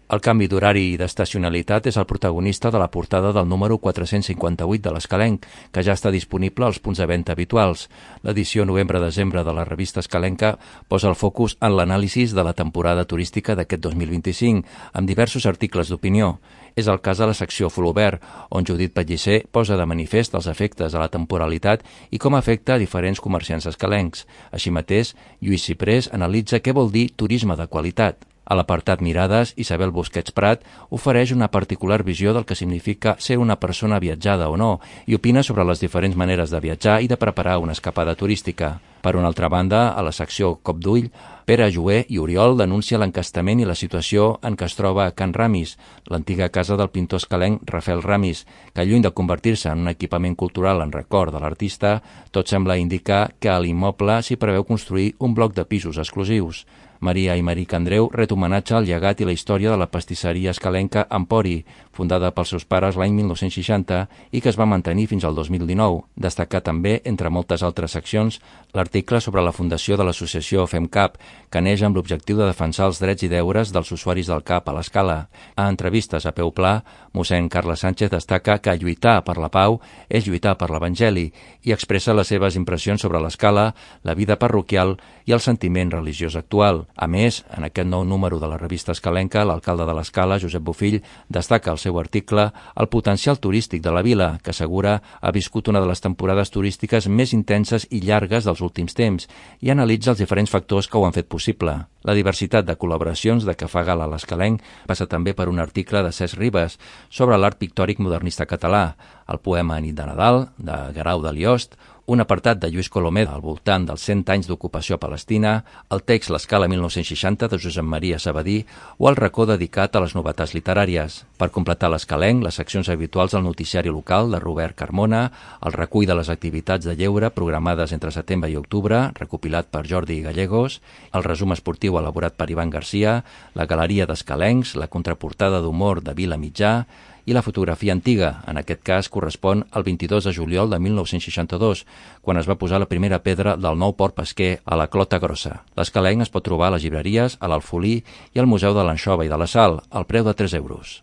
El canvi d'horari i d'estacionalitat és el protagonista de la portada del número 458 de l'Escalenc, que ja està disponible als punts de venda habituals. L'edició novembre-desembre de la revista Escalenca posa el focus en l'anàlisi de la temporada turística d'aquest 2025, amb diversos articles d'opinió. És el cas de la secció Folobert, on Judit Pellicer posa de manifest els efectes de la temporalitat i com afecta a diferents comerciants escalencs. Així mateix, Lluís Ciprés analitza què vol dir turisme de qualitat. A l'apartat Mirades, Isabel Busquets Prat ofereix una particular visió del que significa ser una persona viatjada o no i opina sobre les diferents maneres de viatjar i de preparar una escapada turística. Per una altra banda, a la secció Cop d'Ull, Pere Jover i Oriol denuncia l'encastament i la situació en què es troba Can Ramis, l'antiga casa del pintor escalenc Rafael Ramis, que lluny de convertir-se en un equipament cultural en record de l'artista, tot sembla indicar que a l'immoble s'hi preveu construir un bloc de pisos exclusius. Maria Aymeric Andreu ret homenatge al llegat i la història de la pastisseria escalenca Empori, fundada pels seus pares l'any 1960 i que es va mantenir fins al 2019. Destacar també, entre moltes altres seccions, l'article sobre la fundació de l'associació FemCap, que neix amb l'objectiu de defensar els drets i deures dels usuaris del CAP a l'Escala. A entrevistes a peu pla, mossèn Carles Sánchez destaca que lluitar per la pau és lluitar per l'Evangeli i expressa les seves impressions sobre l'Escala, la vida parroquial i el sentiment religiós actual. A més, en aquest nou número de la revista Escalenca, l'alcalde de l'Escala, Josep Bofill, destaca al seu article el potencial turístic de la vila, que assegura ha viscut una de les temporades turístiques més intenses i llargues dels últims temps i analitza els diferents factors que ho han fet possible. La diversitat de col·laboracions de què fa gala l'Escalenc passa també per un article de Cesc Ribes sobre l'art pictòric modernista català, el poema Nit de Nadal, de Guerau de Liost, un apartat de Lluís Colomer al voltant dels 100 anys d'ocupació palestina, el text L'Escala 1960 de Josep Maria Sabadí o el racó dedicat a les novetats literàries. Per completar l'Escalenc, les seccions habituals del noticiari local de Robert Carmona, el recull de les activitats de lleure programades entre setembre i octubre, recopilat per Jordi Gallegos, el resum esportiu elaborat per Ivan Garcia, la galeria d'escalencs, la contraportada d'humor de Vila Mitjà i la fotografia antiga, en aquest cas correspon al 22 de juliol de 1962, quan es va posar la primera pedra del nou port pesquer a la Clota Grossa. L'Escalenc es pot trobar a les llibreries, a l'Alfolí i al Museu de l'Anxova i de la Sal, al preu de 3 euros.